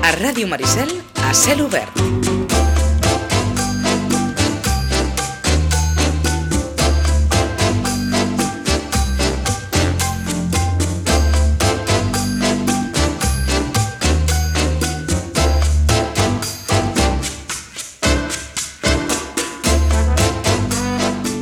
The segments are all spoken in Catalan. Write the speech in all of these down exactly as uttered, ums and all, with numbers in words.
A Ràdio Maricel, a cel obert.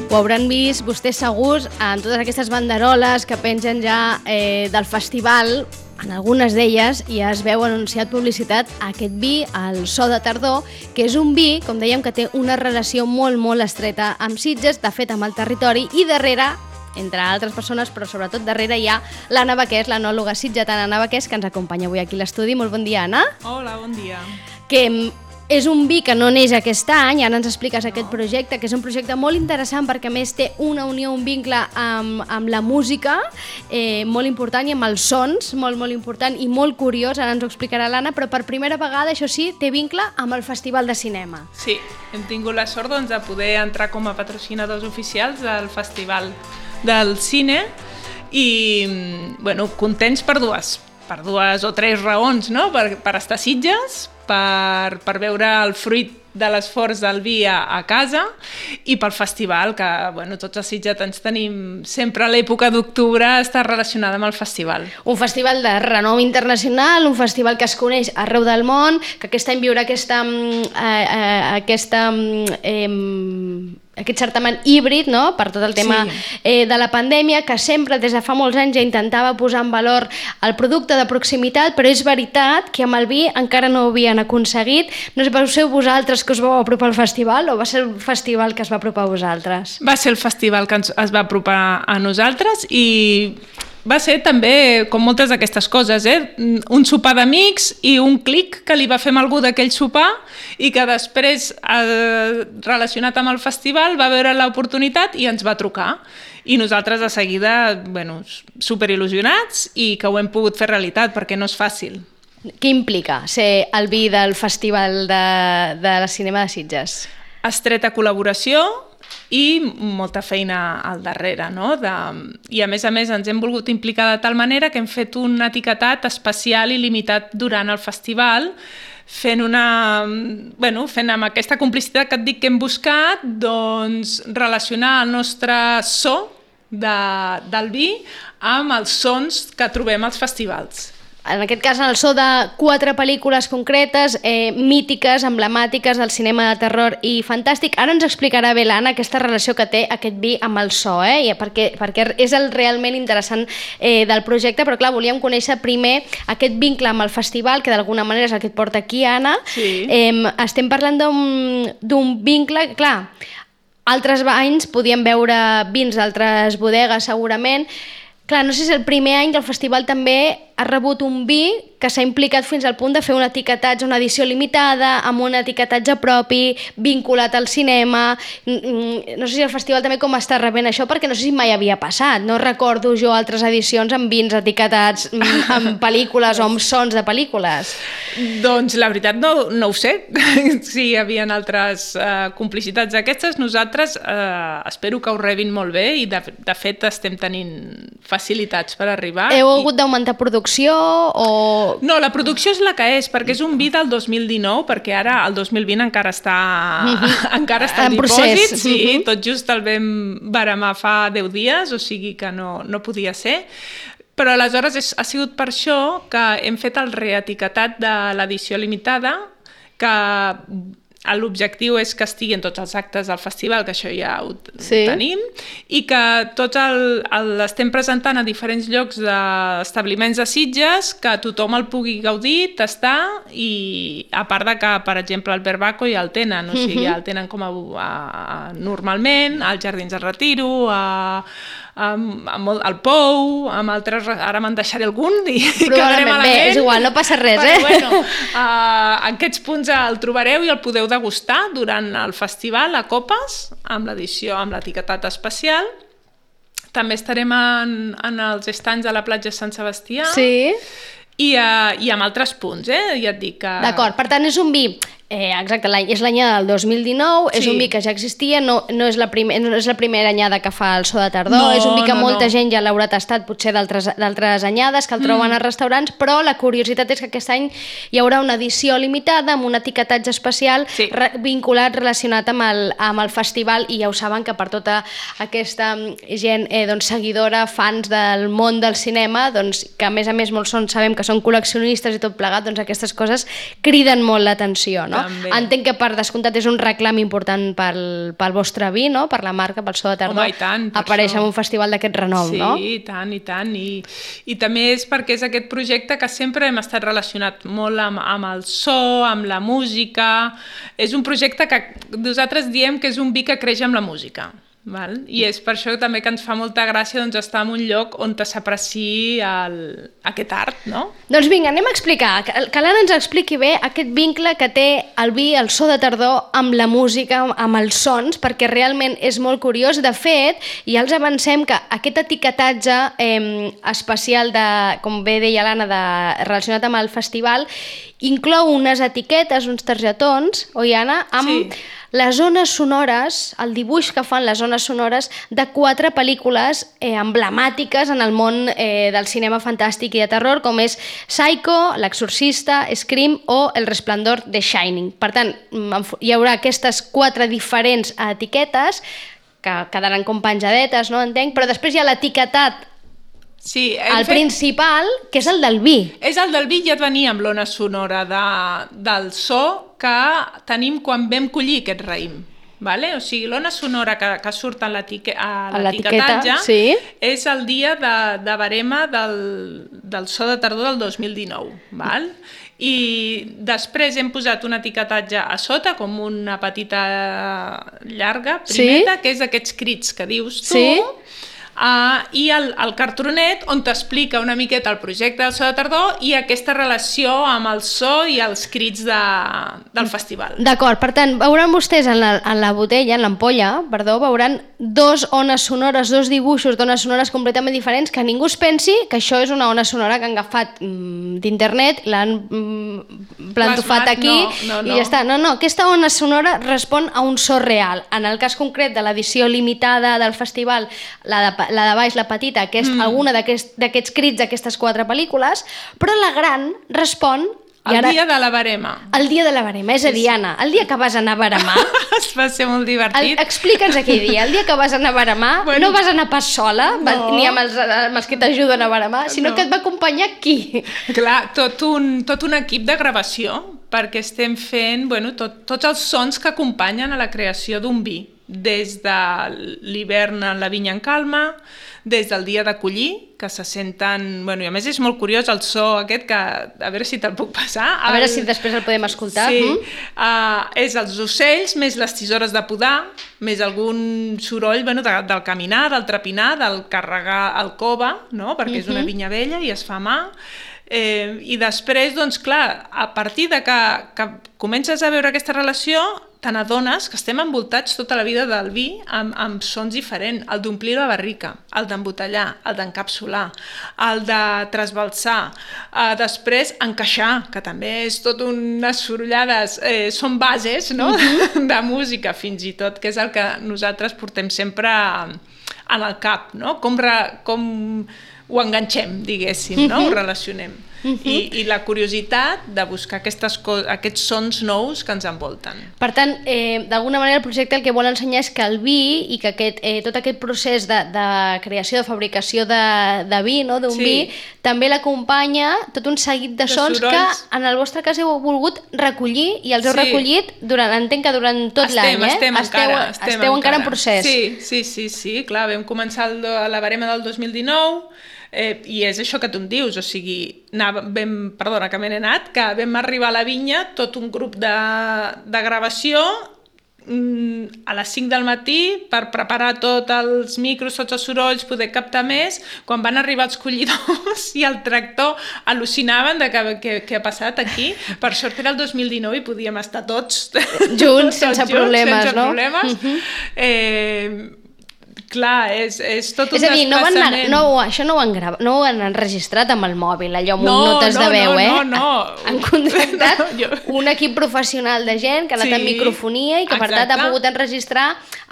Ho hauran vist vostès segurs en totes aquestes banderoles que pengen ja eh, del festival. En algunes d'elles ja es veu anunciat publicitat a aquest vi, el So de Tardor, que és un vi, com dèiem, que té una relació molt, molt estreta amb Sitges, de fet amb el territori, i darrere, entre altres persones, però sobretot darrere hi ha l'Anna Baqués, l'enòloga sitgetana Anna Baqués, que ens acompanya avui aquí a l'estudi. Molt bon dia, Anna. Hola, bon dia. Que és un vi que no neix aquest any, ara ens expliques aquest projecte, que és un projecte molt interessant perquè a més té una unió, un vincle amb, amb la música eh, molt important i amb els sons, molt, molt important i molt curiós, ara ens ho explicarà l'Anna, però per primera vegada, això sí, té vincle amb el Festival de Cinema. Sí, hem tingut la sort doncs, de poder entrar com a patrocinadors oficials del Festival del Cine i, bueno, contents per dues, per dues o tres raons, no? Per, per estar a Sitges, per, per veure el fruit de l'esforç del vi a, a casa i pel festival, que bueno, tots els sitgetans tenim sempre l'època d'octubre està relacionada amb el festival. Un festival de renom internacional, un festival que es coneix arreu del món, que aquest any viurà aquesta, eh, eh, aquesta eh, aquest certamen híbrid, no?, per tot el tema sí. eh, de la pandèmia, que sempre des de fa molts anys ja intentava posar en valor el producte de proximitat, però és veritat que amb el vi encara no ho havien aconseguit. No sé, vau ser vosaltres que us vau apropar al festival o va ser el festival que es va apropar a vosaltres? Va ser el festival que ens, es va apropar a nosaltres i va ser també, com moltes d'aquestes coses, eh? un sopar d'amics i un clic que li va fer amb algú d'aquell sopar i que després, eh, relacionat amb el festival, va veure l'oportunitat i ens va trucar. I nosaltres de seguida, bueno, superil·lusionats i que ho hem pogut fer realitat, perquè no és fàcil. Què implica ser el vi del Festival de, de la Cinema de Sitges? Estreta col·laboració i molta feina al darrere, no? De... I a més a més ens hem volgut implicar de tal manera que hem fet un etiquetat especial i limitat durant el festival, fent una... bueno, fent amb aquesta complicitat que et dic que hem buscat, doncs relacionar el nostre so de, del vi amb els sons que trobem als festivals. En aquest cas, en el so de quatre pel·lícules concretes, eh, mítiques, emblemàtiques del cinema de terror i fantàstic. Ara ens explicarà bé l'Anna aquesta relació que té aquest vi amb el so, eh? perquè, perquè és el realment interessant eh, del projecte, però clar, volíem conèixer primer aquest vincle amb el festival, que d'alguna manera és el que et porta aquí, Anna. Sí. Eh, estem parlant d'un vincle, clar, altres anys podíem veure vins d'altres bodegues segurament. Clar, no sé si és el primer any que el festival també ha rebut un vi que s'ha implicat fins al punt de fer un etiquetatge, una edició limitada, amb un etiquetatge propi, vinculat al cinema. No sé si el festival també com està rebent això, perquè no sé si mai havia passat. No recordo jo altres edicions amb vins etiquetats amb pel·lícules o amb sons de pel·lícules. Doncs la veritat no, no ho sé. Si hi havia altres uh, complicitats d'aquestes, nosaltres uh, espero que ho rebin molt bé i de, de fet estem tenint facilitats per arribar. Heu hagut i... d'augmentar producció o... No, la producció és la que és, perquè és un vi del dos mil dinou, perquè ara el dos mil vint encara està, mm-hmm. encara està en, en dipòsit, sí, mm-hmm. tot just el vam baremar fa deu dies, o sigui que no, no podia ser. Però aleshores és, ha sigut per això que hem fet el reetiquetat de l'edició limitada, que l'objectiu és que estigui en tots els actes del festival, que això ja ho, sí. ho tenim, i que tots l'estem presentant a diferents llocs d'establiments de Sitges, que tothom el pugui gaudir, tastar, i a part de que, per exemple, el Verbaco ja el tenen, o sigui, ja el tenen com a, a, a normalment, als Jardins de Retiro, a... Amb, amb el, el Pou, amb altres, ara me'n deixaré algun i quedaré malament. Bé, és igual, no passa res, però, eh? Bueno, uh, en aquests punts el trobareu i el podeu degustar durant el festival a copes, amb l'edició, amb l'etiquetat especial. També estarem en, en els estands de la platja Sant Sebastià. Sí. I, uh, i amb altres punts, eh? Ja et dic que... D'acord, per tant és un vi Eh, exacte, l'any, és l'anyada del dos mil dinou, sí. És un vi que ja existia, no, no, és la primer, no és la primera anyada que fa el so de tardor, no, és un vi que no, molta no. gent ja l'haurà tastat potser d'altres anyades, que el troben mm. als restaurants, però la curiositat és que aquest any hi haurà una edició limitada amb un etiquetatge especial sí. re, vinculat, relacionat amb el, amb el festival, i ja ho saben que per tota aquesta gent eh, doncs, seguidora, fans del món del cinema, doncs, que a més a més molts són, sabem que són col·leccionistes i tot plegat, doncs aquestes coses criden molt l'atenció, no? També. Entenc que per descomptat és un reclam important pel, pel vostre vi, no? Per la marca, pel so de tardor. Home, i tant, aparèixer en un festival d'aquest renom, sí, no? Sí, i tant, i tant. I, I també és perquè és aquest projecte que sempre hem estat relacionat molt amb, amb el so, amb la música. És un projecte que nosaltres diem que és un vi que creix amb la música. Val? I és per això també que ens fa molta gràcia doncs, estar en un lloc on s'apreciï aquest art, no? Doncs vinga, anem a explicar, que, que l'Anna ens expliqui bé aquest vincle que té el vi, el so de tardor, amb la música, amb els sons, perquè realment és molt curiós. De fet, ja els avancem que aquest etiquetatge eh, especial, de, com bé deia l'Anna, de, relacionat amb el festival, inclou unes etiquetes, uns targetons, oi Anna? Amb sí. les zones sonores, el dibuix que fan les zones sonores de quatre pel·lícules eh, emblemàtiques en el món eh, del cinema fantàstic i de terror, com és Psycho, L'Exorcista, Scream o El Resplendor de Shining. Per tant, hi haurà aquestes quatre diferents etiquetes que quedaran com penjadetes, no entenc, però després hi ha l'etiquetat Sí, el fet... principal, que és el del vi. És el del vi, ja et venia amb l'ona sonora de, del so que tenim quan vam collir aquest raïm. Vale? O sigui, l'ona sonora que, que surt a l'etiquetatge sí. és el dia de, de barema del, del so de tardor del dos mil dinou. Val? I després hem posat un etiquetatge a sota, com una petita llarga, primeta, sí. que és aquests crits que dius tu, sí. Uh, i el, el cartronet on t'explica una miqueta el projecte del so de tardor i aquesta relació amb el so i els crits de, del festival. D'acord, per tant, veuran vostès en la, en la botella, en l'ampolla, perdó, veuran dos ones sonores, dos dibuixos d'ones sonores completament diferents, que ningú es pensi que això és una ona sonora que han agafat mm, d'internet, l'han mm, plantofat aquí no, no, no. i ja està. No, no, aquesta ona sonora respon a un so real. En el cas concret de l'edició limitada del festival, la de la de baix, la petita, que és mm. alguna d'aquests crits d'aquestes quatre pel·lícules, però la gran respon... El ara, dia de la barema. El dia de la barema, és a dir, Anna, el dia que vas anar a baremar... Va ser molt divertit. Explica'ns aquell dia, el dia que vas anar a baremar, bueno, no vas anar pas sola, no. ni amb els, amb els que t'ajuden a baremar, sinó no. que et va acompanyar qui? Clar, tot un, tot un equip de gravació, perquè estem fent bueno, tot, tots els sons que acompanyen a la creació d'un vi. Des de l'hivern en la vinya en calma, des del dia de collir, que se senten... Bueno, i a més és molt curiós el so aquest, que a veure si te'l puc passar. A el, veure si després el podem escoltar. Sí, mm. uh, és els ocells, més les tisores de podar, més algun soroll bueno, de, del caminar, del trepinar, del carregar el cova, no? perquè mm-hmm. és una vinya vella i es fa a mà. Eh, I després, doncs clar, a partir de que, que comences a veure aquesta relació, te n'adones que estem envoltats tota la vida del vi amb, amb sons diferents, el d'omplir la barrica, el d'embotellar, el d'encapsular, el de trasbalsar, eh, després encaixar, que també és tot unes sorollades, eh, són bases no? mm-hmm. de música fins i tot, que és el que nosaltres portem sempre en el cap, no? com, re, com ho enganxem, diguéssim, no? Ho relacionem. Uh-huh. I, i la curiositat de buscar aquestes aquests sons nous que ens envolten. Per tant, eh, d'alguna manera el projecte el que vol ensenyar és que el vi i que aquest, eh, tot aquest procés de, de creació, de fabricació de, de vi, no? d'un sí. vi, també l'acompanya tot un seguit de, de sons sorolls. Que en el vostre cas heu volgut recollir i els heu sí. recollit durant, entenc que durant tot l'any, eh? Estem esteu, encara, estem esteu encara. encara en procés. Sí, sí, sí, sí, clar, vam començar el, la barema del dos mil dinou, Eh, i és això que tu em dius, o sigui, anava, vam, perdona que me n'he anat, que vam arribar a la vinya, tot un grup de, de gravació mm, a les cinc del matí per preparar tots els micros, tots els sorolls, poder captar més. Quan van arribar els collidors i el tractor al·lucinaven de què, què ha passat aquí. Per sort era el dos mil dinou i podíem estar tots junts, sense tots problemes, junts, sense no? problemes. Uh-huh. Eh, Clar, és, és tot un és a dir, no van anar, desplaçament. no, això no ho, han gravat, no ho han enregistrat amb el mòbil, allò amb No, notes no, de veu, no, eh? no, no. Han contractat No, jo- un equip professional de gent que ha anat Sí, amb microfonia i que per tant exacte. ha pogut enregistrar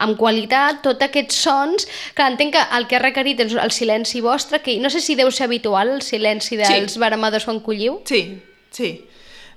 amb qualitat tots aquests sons. Clar, entenc que el que ha requerit és el silenci vostre, que no sé si deu ser habitual el silenci dels Sí. veremadors quan colliu. Sí, sí.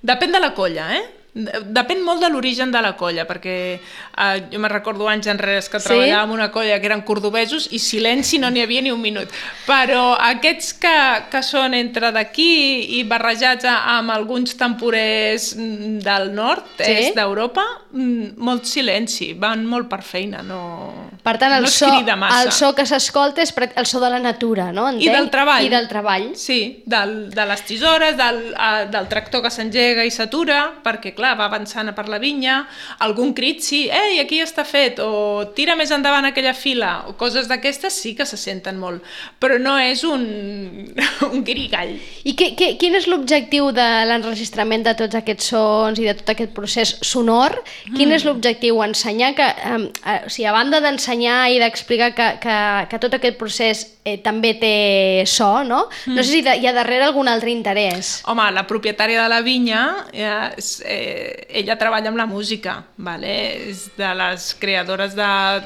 Depèn de la colla, eh? Depèn molt de l'origen de la colla, perquè eh, jo me recordo anys enrere que Sí? treballava en una colla que eren cordovesos i silenci no n'hi havia ni un minut. Però aquests que, que són entre d'aquí i barrejats amb alguns temporers mm, del nord, Sí? est d'Europa, mm, molt silenci, van molt per feina, no, Per tant, el, no es so, crida massa. el so que s'escolta és prac- el so de la natura, no? Entenc? I del treball. I del treball. Sí, del, de les tisores, del, uh, del tractor que s'engega i s'atura, perquè, clar, va avançant per la vinya, algun crit, sí, ei, aquí està fet, o tira més endavant aquella fila, o coses d'aquestes sí que se senten molt, però no és un, un guirigall. I que, que, quin és l'objectiu de l'enregistrament de tots aquests sons i de tot aquest procés sonor? Quin és l'objectiu? Ensenyar que, eh, eh, o sigui, a banda d'ensenyar i d'explicar que, que, que tot aquest procés eh, també té so, no? No sé si de, hi ha darrere algun altre interès. Home, la propietària de la vinya, eh, és, eh, ella treballa amb la música, vale? És de les creadores de-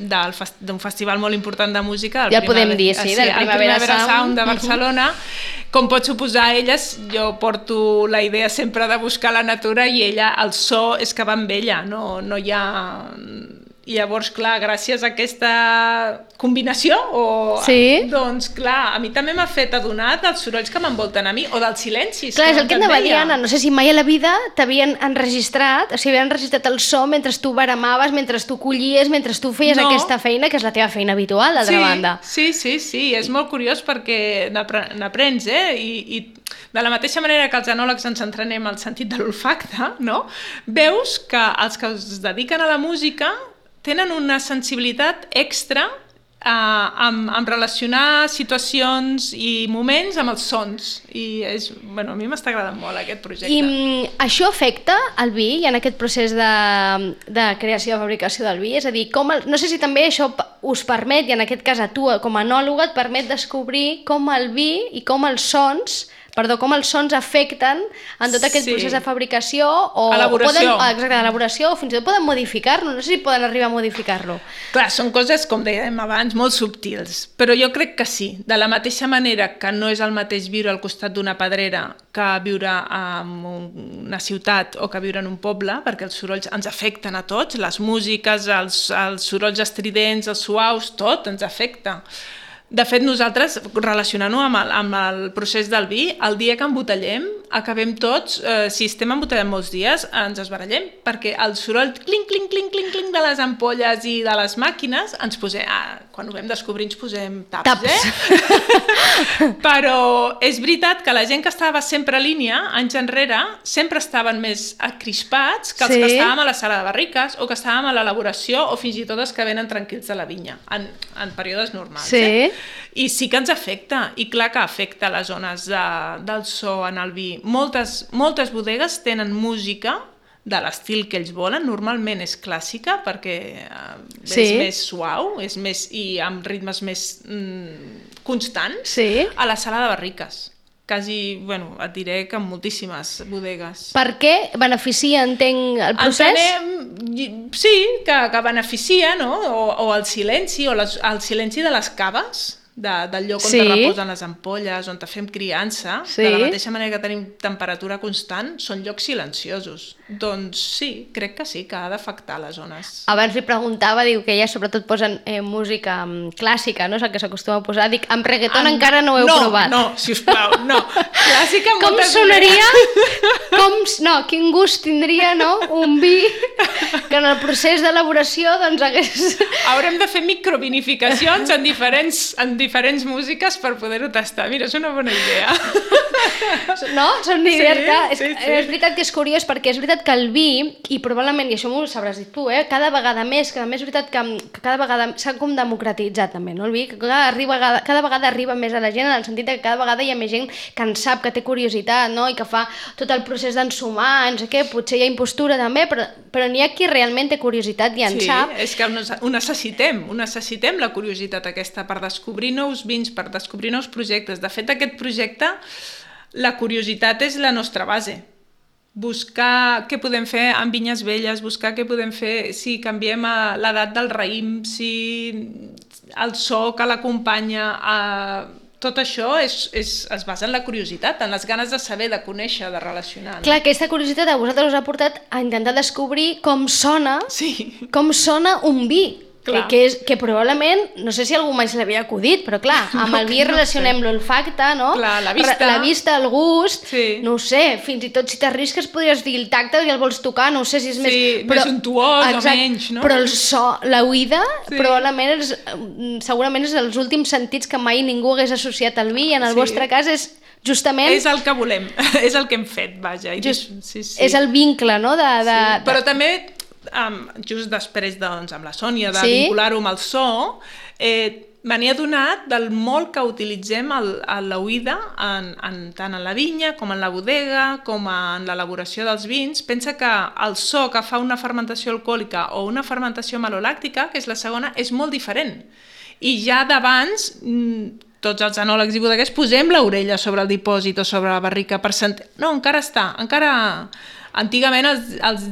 del fes- d'un festival molt important de música. el Ja el podem Primavera- dir, sí, del el Primavera Sound. Sound de Barcelona. Com pot suposar elles, jo porto la idea sempre de buscar la natura i ella, el so és que va amb ella, no, no hi ha... I llavors, clar, gràcies a aquesta combinació, o, Sí. doncs, clar, a mi també m'ha fet adonar dels sorolls que m'envolten a mi, o dels silencis. Clar, és el que anava a dir, deia. Anna, no sé si mai a la vida t'havien enregistrat, o sigui, havien enregistrat el so mentre tu baramaves, mentre tu collies, mentre tu feies No. aquesta feina, que és la teva feina habitual, d'altra sí, banda. Sí, sí, sí, és molt curiós perquè n'apre- n'aprens, eh? I, I de la mateixa manera que els enòlegs ens entrenem al sentit de l'olfacte, no? Veus que els que es dediquen a la música tenen una sensibilitat extra eh, amb, amb relacionar situacions i moments amb els sons. I és, bueno, a mi m'està agradant molt aquest projecte. I mm, això afecta el vi i en aquest procés de, de creació i fabricació del vi? És a dir, com el, no sé si també això p- us permet, i en aquest cas a tu com a enòloga et permet descobrir com el vi i com els sons perdó, com els sons afecten en tot aquest Sí. procés de fabricació o Elaboració. poden, exacte, elaboració o fins i tot poden modificar-lo, no sé si poden arribar a modificar-lo. Clar, són coses, com dèiem abans, molt subtils, però jo crec que sí. De la mateixa manera que no és el mateix viure al costat d'una pedrera que viure en una ciutat o que viure en un poble, perquè els sorolls ens afecten a tots, les músiques, els, els sorolls estridents, els suaus, tot ens afecta. De fet, nosaltres, relacionant-ho amb, el, amb el procés del vi, el dia que embotellem, acabem tots, eh, si estem embotellant molts dies, ens esbarallem, perquè el soroll clinc, clinc, clinc, clinc, clinc de les ampolles i de les màquines, ens posem, ah, quan ho vam descobrir ens posem taps, Taps. eh? Però és veritat que la gent que estava sempre a línia, anys enrere, sempre estaven més acrispats que els Sí. que estàvem a la sala de barriques o que estàvem a l'elaboració o fins i tot els que venen tranquils de la vinya, en, en períodes normals. Sí. Eh? I sí que ens afecta, i clar que afecta les zones de, del so en el vi. Moltes, moltes bodegues tenen música de l'estil que ells volen, normalment és clàssica perquè eh, Sí. és més suau és més, i amb ritmes més mm, constants Sí. a la sala de barriques. Quasi, bueno, et diré que en moltíssimes bodegues. Per què beneficia, entenc, el procés? Entenem, sí, que, que beneficia, no? O, o el silenci, o les, el silenci de les caves, de, del lloc on Sí. te reposen les ampolles, on te fem criança, Sí. de la mateixa manera que tenim temperatura constant, són llocs silenciosos. Doncs sí, crec que sí, que ha d'afectar les zones. Abans li preguntava, diu que elles sobretot posen eh, música mm, clàssica, no és el que s'acostuma a posar. Dic, amb reggaeton Amb- encara no ho heu no, provat. No, sisplau, no. Clàssica Com moltes sonaria? Com, no, quin gust tindria, no? Un vi que en el procés d'elaboració doncs hagués... Haurem de fer microvinificacions en diferents, en diferents músiques per poder-ho tastar. Mira, és una bona idea. No? Són idees Sí, que... És, sí, sí. és veritat que és curiós perquè és veritat que el vi, i probablement, i això m'ho sabràs dir tu, eh? Cada vegada més, que a més és veritat que, que cada vegada s'ha com democratitzat també, no? El vi, que cada, arriba, cada vegada arriba més a la gent en el sentit que cada vegada hi ha més gent que en sap sap, que té curiositat, no? I que fa tot el procés d'ensumar, no sé què, potser hi ha impostura també, però, però n'hi ha qui realment té curiositat i en sí, sap. Sí, és que ho necessitem, ho necessitem la curiositat aquesta per descobrir nous vins, per descobrir nous projectes. De fet, aquest projecte, la curiositat és la nostra base. Buscar què podem fer amb vinyes velles, buscar què podem fer si canviem l'edat del raïm, si el so que l'acompanya, eh, tot això és, és, es basa en la curiositat, en les ganes de saber, de conèixer, de relacionar. No? Clar, aquesta curiositat a vosaltres us ha portat a intentar descobrir com sona, sí. com sona un vi. Que, que, és, que probablement, no sé si algú mai se l'havia acudit, però clar, amb no, el vi no relacionem sé. L'olfacte, no? Clar, la vista. La vista, el gust, sí. No ho sé, fins i tot si t'arrisques podries dir el tacte i el vols tocar, no ho sé si és sí, més... Però, més untuós exacte, o menys, no? Però el so, l'oïda, sí. Probablement és, segurament és els últims sentits que mai ningú hagués associat al vi i en el sí. vostre cas és justament... És el que volem, és el que hem fet, vaja. Just, sí, sí. És el vincle, no? De, de, sí. Però també... Um, just després doncs, amb la Sònia de sí? vincular-ho amb el so, eh, me n'he adonat del molt que utilitzem l'oïda en, en, tant en la vinya com en la bodega com en l'elaboració dels vins. Pensa que el so que fa una fermentació alcohòlica o una fermentació malolàctica, que és la segona, és molt diferent. I ja d'abans tots els enòlegs i bodeguers posem l'orella sobre el dipòsit o sobre la barrica per sentir... No, encara està, encara... Antigament els, els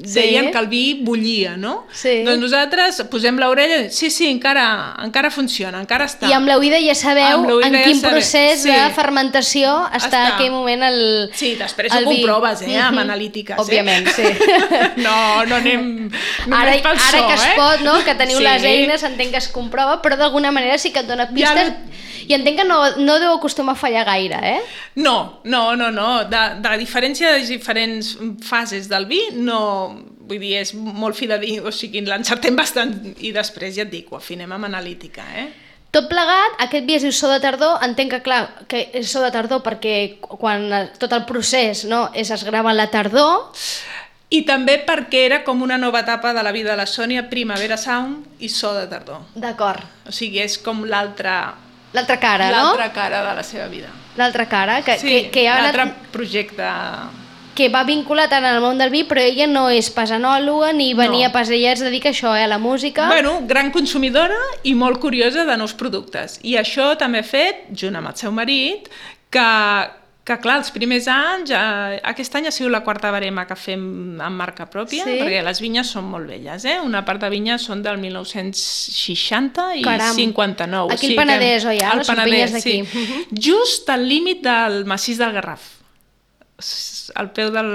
deien sí? que el vi bullia, no? Sí. Doncs nosaltres posem l'orella i sí, sí, encara, encara funciona, encara està. I amb l'oïda ja sabeu en quin ja procés sí. de fermentació està, està en aquell moment el Sí, després ho comproves, eh, amb analítiques. Òbviament, eh? sí. no, no anem ara, pel ara so, que es eh? pot, no? Que teniu sí. les eines, entenc que es comprova, però d'alguna manera sí que et dona pistes... Ja... I entenc que no, no deu acostumar a fallar gaire, eh? No, no, no, no. De, de la diferència de les diferents fases del vi, no... Vull dir, és molt fi de dir, o sigui, l'encertem bastant i després ja et dic, ho afinem amb analítica, eh? Tot plegat, aquest vi és so de tardor, entenc que clar, que és so de tardor perquè quan tot el procés no, és, es grava a la tardor... I també perquè era com una nova etapa de la vida de la Sònia, Primavera Sound i so de tardor. D'acord. O sigui, és com l'altra... L'altra cara, no? L'altra cara de la seva vida. L'altra cara, que, sí, que, que ha l'altre anat... projecte... Que va vinculat tant al món del vi, però ella no és pas enòloga ni venia no. pas, ella es dedica a això, eh, a la música. Bueno, gran consumidora i molt curiosa de nous productes. I això també ha fet, junt amb el seu marit, que... que clar, els primers anys, eh, aquest any ha sigut la quarta barema que fem amb marca pròpia, sí? Perquè les vinyes són molt velles, eh? Una part de vinyes són del mil nou-cents seixanta i Caram. cinquanta-nou. Aquí el Penedès, oi? El les vinyes d'aquí. Sí. Uh-huh. Just al límit del massís del Garraf. Al peu del,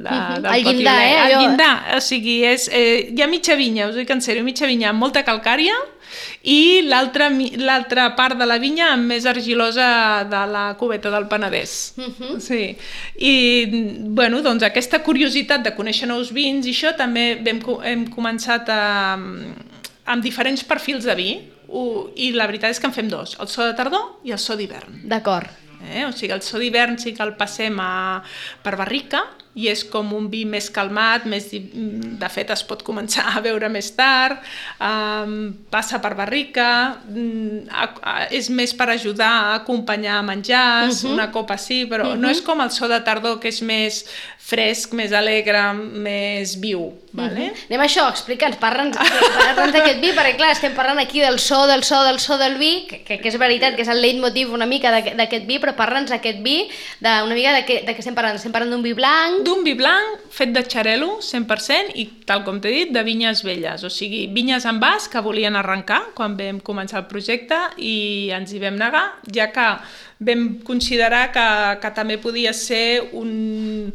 de, uh-huh. del el llindar, eh? El llindar, o sigui, és, eh, hi ha mitja vinya, us ho dic en sèrio, mitja vinya amb molta calcària, i l'altra part de la vinya més argilosa de la cubeta del Penedès. Uh-huh. Sí. I bueno, doncs aquesta curiositat de conèixer nous vins i això també hem, hem començat a, amb diferents perfils de vi i la veritat és que en fem dos, el so de tardor i el so d'hivern. D'acord. Eh? O sigui, el so d'hivern sí que el passem a, per barrica i és com un vi més calmat, més, de fet es pot començar a beure més tard, um, passa per barrica, um, a, a, és més per ajudar a acompanyar menjars, uh-huh. una copa sí, però uh-huh. no és com el so de tardor que és més fresc, més alegre, més viu. Vale? Uh-huh. Anem a això, explica'ns, parla'ns d'aquest vi, perquè clar, estem parlant aquí del so, del so, del so del vi, que, que és veritat que és el leitmotiv una mica d'aquest vi, però parla'ns d'aquest vi, de, una mica de què, de què estem parlant. Estem parlant d'un vi blanc, d'un vi blanc fet de xarel·lo cent per cent i, tal com t'he dit, de vinyes velles, o sigui, vinyes en vas que volien arrencar quan vam començar el projecte i ens hi vam negar, ja que vam considerar que, que també podia ser un,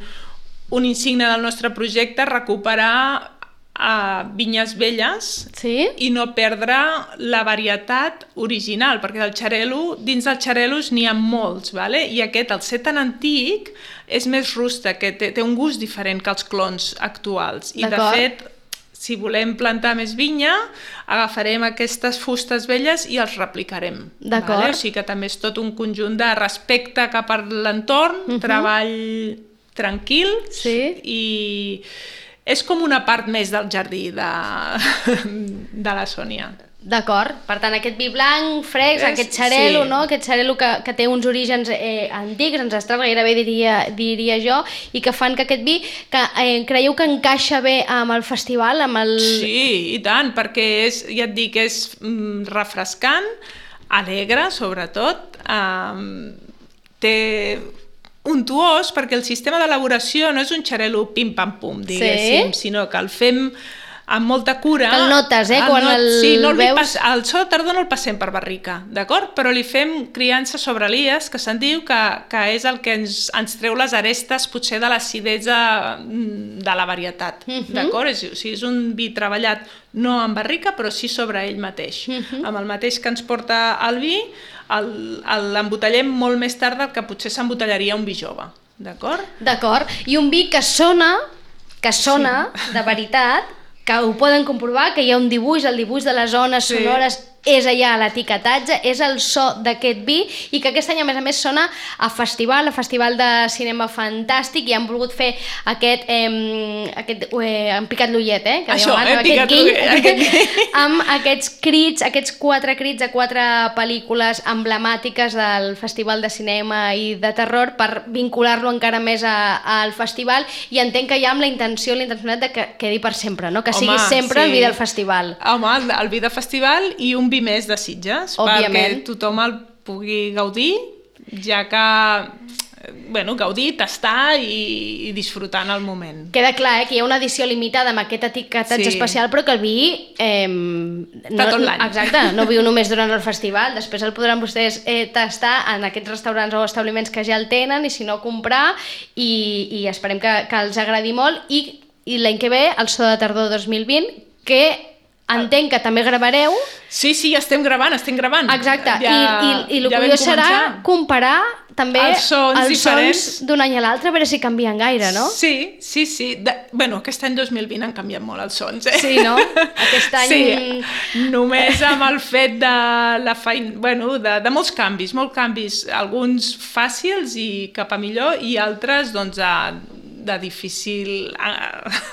un insigne del nostre projecte recuperar a vinyes velles sí? I no perdre la varietat original, perquè del xarel·lo, dins dels xarel·los n'hi ha molts, vale? I aquest, al ser tan antic, és més rústec, que té, té un gust diferent que els clons actuals. I de fet, si volem plantar més vinya, agafarem aquestes fustes velles i els replicarem. D'acord. Vale? O sigui que també és tot un conjunt de respecte cap a l'entorn, uh-huh. treball tranquil sí? I... és com una part més del jardí de, de la Sònia. D'acord, per tant aquest vi blanc, fresc, És- aquest xarelo, sí. no? Aquest xarelo que, que té uns orígens eh, antics, ancestrals, gairebé diria, diria jo, i que fan que aquest vi, que eh, creieu que encaixa bé amb el festival, amb el... Sí, i tant, perquè és, ja et dic, és mm, refrescant, alegre, sobretot, um, té untuós, perquè el sistema d'elaboració no és un xarelo pim-pam-pum, diguéssim, Sí. sinó que el fem amb molta cura. Que el notes, eh, El quan el sí, no el veus. Pas, el so de tardor no el passem per barrica, d'acord? Però li fem criança sobre lies, que se'n diu que, que és el que ens, ens treu les arestes, potser de l'acidesa mm, de la varietat, Mhm. d'acord? És, o sigui, és un vi treballat no en barrica, però sí sobre ell mateix. Mhm. Amb el mateix que ens porta el vi, el- el- l'embotellem molt més tard del que potser s'embotellaria un vi jove, d'acord? D'acord, i un vi que sona, que sona sí. de veritat, que ho poden comprovar, que hi ha un dibuix, el dibuix de les zones Sí. sonores és allà a l'etiquetatge, és el so d'aquest vi, i que aquest any a més a més sona a festival, a festival de cinema fantàstic, i han volgut fer aquest, eh, aquest eh, han picat l'ullet, eh? Que Això, dèiem abans, eh, amb picat aquest guiny, l'ullet, aquest guiny. amb aquests crits, aquests quatre crits de quatre pel·lícules emblemàtiques del Festival de Cinema i de Terror per vincular-lo encara més a, al festival, i entenc que ja amb la intenció, la intencionalitat de que quedi per sempre, no? Que sigui Home, sempre sí. el vi del festival. Home, el, el vi de festival i un vi més de Sitges, Òbviament. perquè tothom el pugui gaudir, ja que, eh, bueno, gaudir, tastar i, i disfrutar en el moment. Queda clar, eh, que hi ha una edició limitada amb aquest etiquetatge Sí. especial, però que el vi... Eh, Està no, tot l'any. Exacte, no viu només durant el festival, després el podran vostès eh, tastar en aquests restaurants o establiments que ja el tenen, i si no comprar, i, i esperem que, que els agradi molt, i, i l'any que ve, el So de Tardor dos mil vint, que entenc que també gravareu. Sí, sí, estem gravant, estem gravant. Exacte, ja, i, i, i el ja vam curiós serà començar. comparar també Els sons els diferents. sons d'un any a l'altre, a veure si canvien gaire, no? Sí, sí, sí. De, bueno, aquest any dos mil vint han canviat molt els sons, eh? Sí, no? Aquest any... Sí, només amb el fet de la feina... Bueno, de, de molts canvis, molts canvis. Alguns fàcils i cap a millor, i altres, doncs, de, de difícil...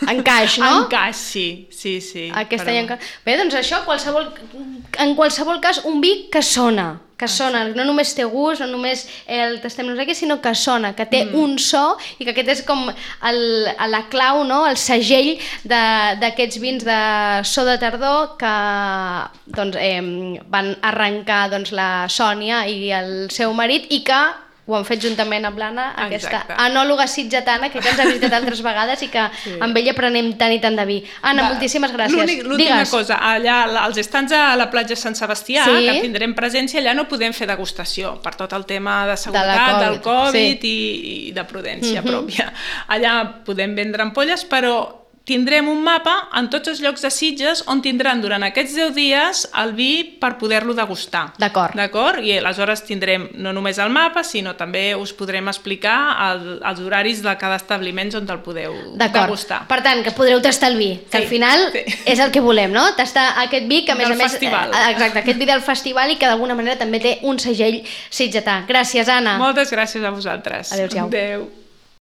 Encaix, no? Encaix, sí, sí, sí. Aquest però- any encara... Bé, doncs això, qualsevol, en qualsevol cas, un vi que sona, que sona, no només té gust, no només el tastem no sé què, sinó que sona, que té mm. un so, i que aquest és com el, la clau, no? El segell d'aquests vins de So de Tardor que doncs, eh, van arrencar doncs, la Sònia i el seu marit, i que ho han fet juntament amb l'Anna, aquesta Exacte. enòloga sitgetana que ja ens ha visitat altres vegades i que sí. amb ella prenem tant i tant de vi. Anna, Va, moltíssimes gràcies. l'únic- L'última Digues. cosa, allà als estants a la platja Sant Sebastià, Sí. que tindrem presència, allà no podem fer degustació per tot el tema de De seguretat, la del Covid, Covid i, i de prudència Mhm. pròpia. Allà podem vendre ampolles, però tindrem un mapa en tots els llocs de Sitges on tindran durant aquests deu dies el vi per poder-lo degustar. D'acord. D'acord? I aleshores tindrem no només el mapa, sinó també us podrem explicar el, els horaris de cada establiment on el podeu D'acord. degustar. Per tant, que podreu tastar el vi, que Sí, al final sí. és el que volem, no? Tastar aquest vi que a més Del a més... festival. eh, Exacte, aquest vi del festival, i que d'alguna manera també té un segell sitgetà. Gràcies, Anna. Moltes gràcies a vosaltres. Adéu-siau. Adéu.